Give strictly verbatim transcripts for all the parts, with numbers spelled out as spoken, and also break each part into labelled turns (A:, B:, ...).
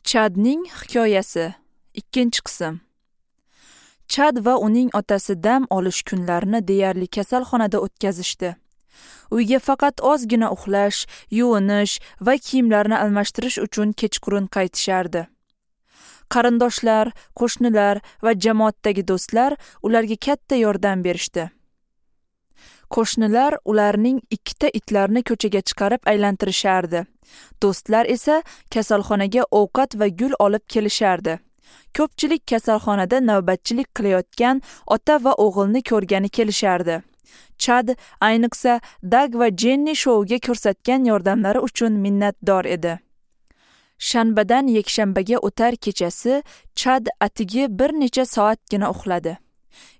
A: Chadning hikoyasi, ikkinchi qism. Chad va uning otasi dam olish kunlarini deyarli kasalxonada o'tkazishdi. Uyga faqat ozgina uxlash, yuvinish va kiyimlarni almashtirish uchun kechqurun qaytishardi. Qarindoshlar, qo'shnilar va jamoatdagi do'stlar ularga katta yordam berishdi. Qo'shnilar ularning ikkita itlarini ko'chaga chiqarib aylantirishardi. Do'stlar esa kasalxonaga ovqat va gul olib kelishardi. Ko'pchilik kasalxonada navbatchilik qilayotgan ota va o'g'ilni ko'rgani kelishardi. Chad ayniqsa Dag va Jenni shouga ko'rsatgan yordamlari uchun minnatdor edi. Shanbadan yakshanbaga o'tar kechasi Chad atigi bir necha soatgina uxladi.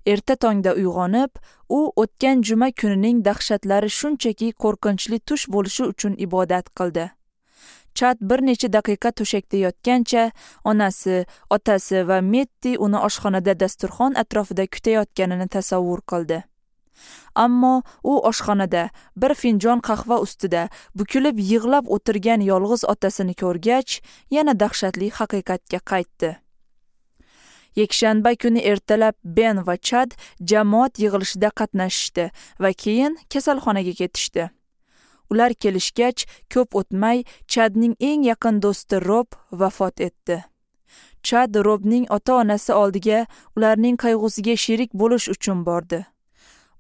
A: Erta tongda uyg'onib, u o'tgan juma kunining dahshatlari shunchaki qo'rqinchli tush bo'lishi uchun ibodat qildi. Chad bir necha daqiqa to'shakda yotgancha onasi, otasi va Metti uni oshxonada dasturxon atrofida kutayotganini tasavvur qildi. Ammo u oshxonada bir finjon qahva ustida bukilib yig'lab o'tirgan yolg'iz otasini ko'rgach, yana dahshatli haqiqatga qaytdi. Yakshanba kuni ertalab Ben va Chad jamoat yig'ilishida qatnashishdi va keyin kasalxonaga ketishdi. Ular kelishgach, ko'p o'tmay Chadning eng yaqin do'sti Rob vafot etdi. Chad Robning ota-onasi oldiga ularning qayg'usiga sherik bo'lish uchun bordi.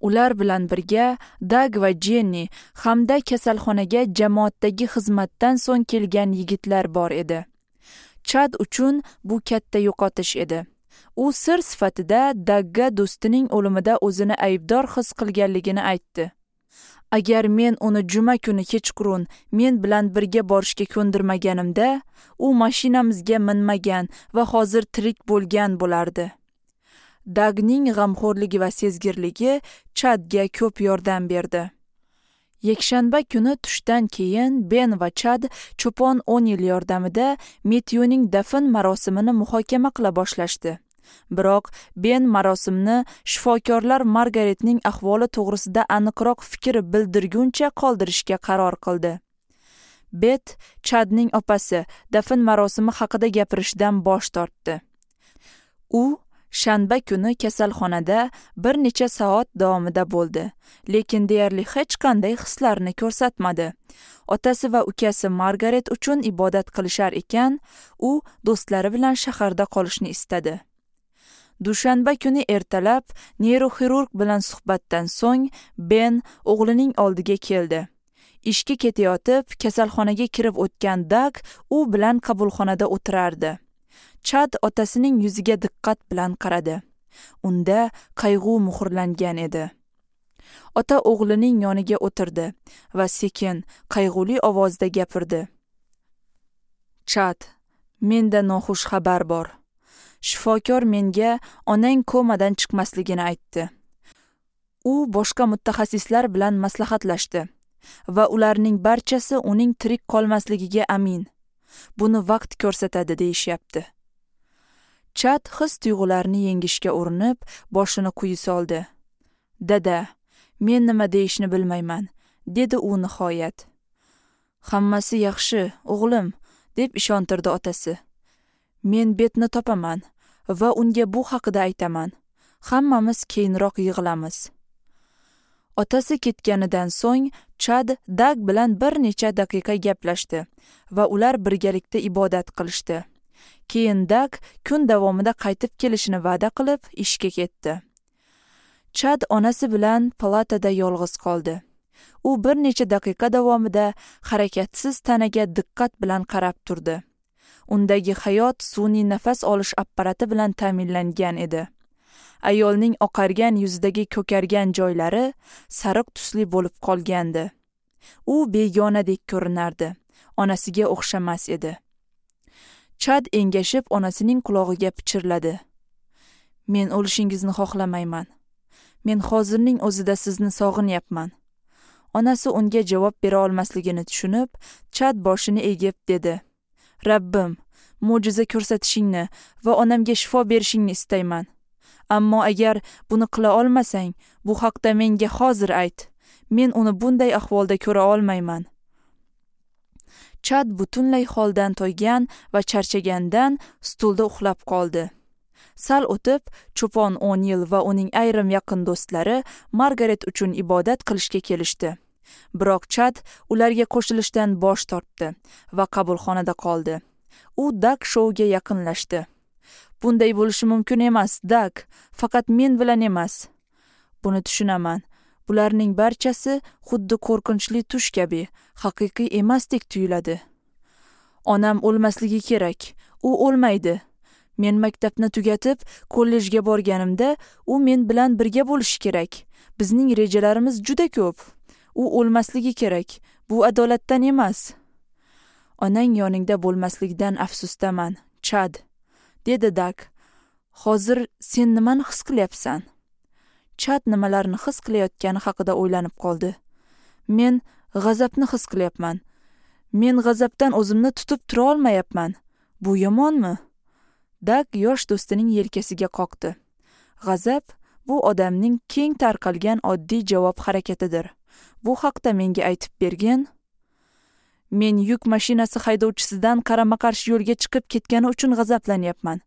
A: Ular bilan birga Dag va Jenni hamda kasalxonaga jamoatdagi xizmatdan so'ng kelgan yigitlar bor edi. Chad uchun bu katta yo'qotish edi. U sir sifatida Dagga do'stining o'limida o'zini aybdor his qilganligini aytdi. Agar men uni juma kuni kechqurun men bilan birga borishga ko'ndirmaganimda, u mashinamizga minmagan va hozir tirik bo'lgan bo'lardi. Dagning g'amxo'rligi va sezgirligi Chadga ko'p yordam berdi. Yakshanba kuni tushdan keyin Ben va Chad cho'pon O'Nil yordamida Metyuning dafn marosimini muhokama qila boshlashdi. Biroq Ben marosimni shifokorlar Margaretning ahvoli to'g'risida aniqroq fikr bildirguncha qoldirishga qaror qildi. Bet, Chadning opasi, dafn marosimi haqida gapirishdan bosh tortdi. U shanba kuni kasalxonada bir necha soat davomida bo'ldi, lekin deyarli hech qanday hislarni ko'rsatmadi. Otasi va ukasi Margaret uchun ibodat qilishar ekan, u do'stlari bilan shaharda qolishni istadi. Dushanba kuni ertalab neyroxirurg bilan suhbatdan so'ng Ben o'g'lining oldiga keldi. Ishga ketayotib, kasalxonaga kirib o'tgan Dag u bilan qabulxonada o'tirardi. Chad otasining yuziga diqqat bilan qaradi. Unda qayg'u muhrlangan edi. Ota o'g'lining yoniga o'tirdi va sekin, qayg'uli ovozda gapirdi. Chad, menda noxush xabar bor. Shifokor menga onang komadan chiqmasligini aytdi. U boshqa mutaxassislar bilan maslahatlashdi va ularning barchasi uning tirik qolmasligiga amin. Buni vaqt ko'rsatadi deyishyapti. Chad his tuyg'ularini yengishga urinib, boshini quyi soldi. Dada, men nima deyishni bilmayman, dedi u nihoyat. Hammasi yaxshi, o'g'lim, deb ishontirdi otasi. Men Betni topaman va unga bu haqida aytaman. Hammamiz keyinroq yig'ilamiz. Otasi ketganidan so'ng Chad Dag bilan bir necha daqiqa gaplashdi va ular birgalikda ibodat qilishdi. Keyin Dag kun davomida qaytib kelishini va'da qilib, ishga ketdi. Chad onasi bilan palatada yolg'iz qoldi. U bir necha daqiqa davomida harakatsiz tanaga diqqat bilan qarab turdi. Undagi hayot sun'iy nafas olish apparati bilan ta'minlangan edi. Ayolning oqargan yuzidagi ko'kargan joylari sariq tusli bo'lib qolgandi. U begonadek ko'rinardi. Onasiga o'xshamas edi. Chad engashib onasining qulog'iga pichirladi. Men o'lishingizni xohlamayman. Men hozirning o'zida sizni sog'inyapman. Onasi unga javob bera olmasligini tushunib, Chad boshini egib dedi. Rabbim, mo'jiza ko'rsatishingni va onamga shifo berishingni istayman. Ammo agar buni qila olmasang, bu haqda menga hozir ayt. Men uni bunday ahvolda ko'ra olmayman. Chad butunlay holdan toygan va charchagandan stulda uxlab qoldi. Sal o'tib, cho'pon O'Nil va uning ayrim yaqin do'stlari Margaret uchun ibodat qilishga kelishdi. Biroq Chad ularga qo'shilishdan bosh tortdi va qabulxonada qoldi. U Dak Shouga yaqinlashdi. Bunday bo'lishi mumkin emas, Dak, faqat men bilan emas. Buni tushunaman. Bularning barchasi xuddi qo'rqinchli tush kabi, haqiqiy emasdek tuyuladi. Onam o'lmasligi kerak. U o'lmaydi. Men maktabni tugatib, kollejga borganimda u men bilan birga bo'lishi kerak. Bizning rejalarimiz juda ko'p. U o'lmasligi kerak. Bu adolatdan emas. Onang yoningda bo'lmasligidan afsusdaman, Chad, dedi Dak. Hozir sen nimani his qilyapsan? Chad nimalarni his qilayotgani haqida o'ylanib qoldi. Men g'azabni his qilyapman. Men g'azabdan o'zimni tutib tura olmayapman. Bu yomonmi? Dak yosh do'stining yelkasiga qoqdi. G'azab bu odamning keng tarqalgan oddiy javob harakatidir. Bu haqda menga aytib bergin. Men yuk mashinasi haydovchisidan qarama-qarshi yo'lga chiqib ketgani uchun g'azablanyapman.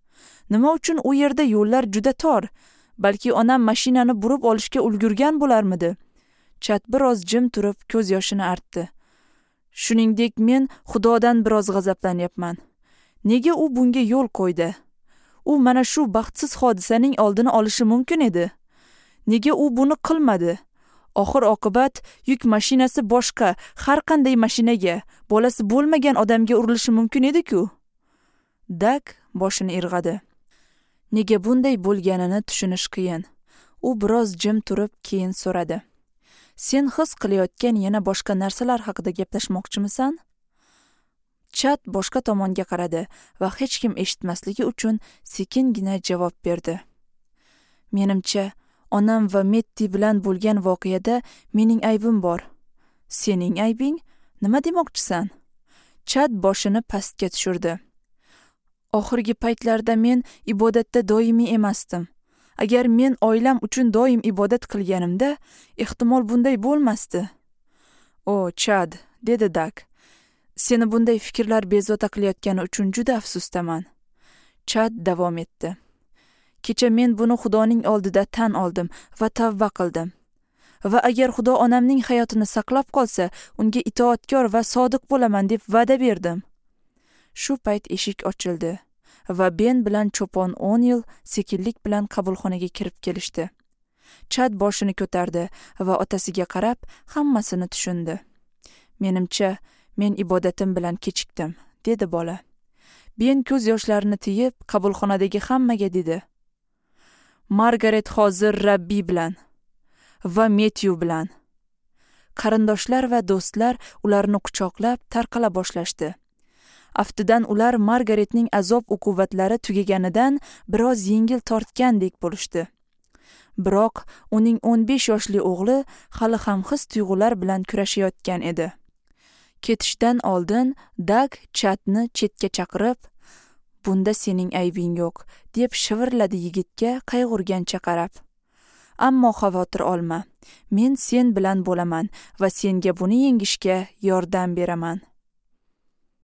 A: Nima uchun u yerda yo'llar juda tor? Balki onam mashinani burib olishga ulgurgan bo'larmidi? Chad biroz jim turib ko'z yoshini artdi. Shuningdek, men Xudodan biroz g'azablanyapman. Nega u bunga yo'l qo'ydi? U mana shu baxtsiz hodisaning oldini olishi mumkin edi. Nega u buni qilmadi? Oxir oqibat yuk mashinasi boshqa har qanday mashinaga, bolasi bo'lmagan odamga urilishi mumkin edi-ku. Dak boshini irg'adi. Nega bunday bo'lganini tushunish qiyin. U biroz jim turib, keyin so'radi. Sen his qilayotgan yana boshqa narsalar haqida gaplashmoqchimisan? Chad boshqa tomonga qaradi va hech kim eshitmasligi uchun sekingina javob berdi. Menimcha, onam va Metti bilan bo'lgan voqeada mening aybim bor. Sening aybing? Nima demoqchisan? Chad boshini pastga tushirdi. Oxirgi paytlarda men ibodatda doimiy emasdim. Agar men oilam uchun doim ibodat qilganimda, ehtimol bunday bo'lmasdi. O, Chad, dedi Dak. Seni bunday fikrlar bezovta qilayotgani uchun juda afsusdaman. Chad davom etdi. Kecha men buni Xudoning oldida tan oldim va tavba qildim. Va agar Xudo onamning hayotini saqlab qolsa, unga itoatkor va sodiq bo'laman deb va'da berdim. Shu payt eshik ochildi va Ben bilan cho'pon O'Nil sekinlik bilan qabulxonaga kirib kelishdi. Chad boshini ko'tardi va otasiga qarab hammasini tushundi. Menimcha, men ibodatim bilan kechikdim, dedi bola. Ben ko'z yoshlarini tiyib, qabulxonadagi hammaga dedi. Margaret hozir Rabbi bilan va Metyu bilan. Qarindoshlar va do'stlar ularni quchoqlab tarqala boshlashdi. Aftidan ular Margaretning azob uquvatlari tugaganidan biroz yengil tortgandek bo'lishdi. Biroq uning o'n besh yoshli o'g'li hali ham his-tuyg'ular bilan kurashayotgan edi. Ketishdan oldin Dak Chadni chetga chaqirib, "Bunda sening aybing yo'q", deb shivirladi yigitga qayg'urgancha qarab. Ammo xavotir olma. Men sen bilan bo'laman va senga buni yengishga yordam beraman.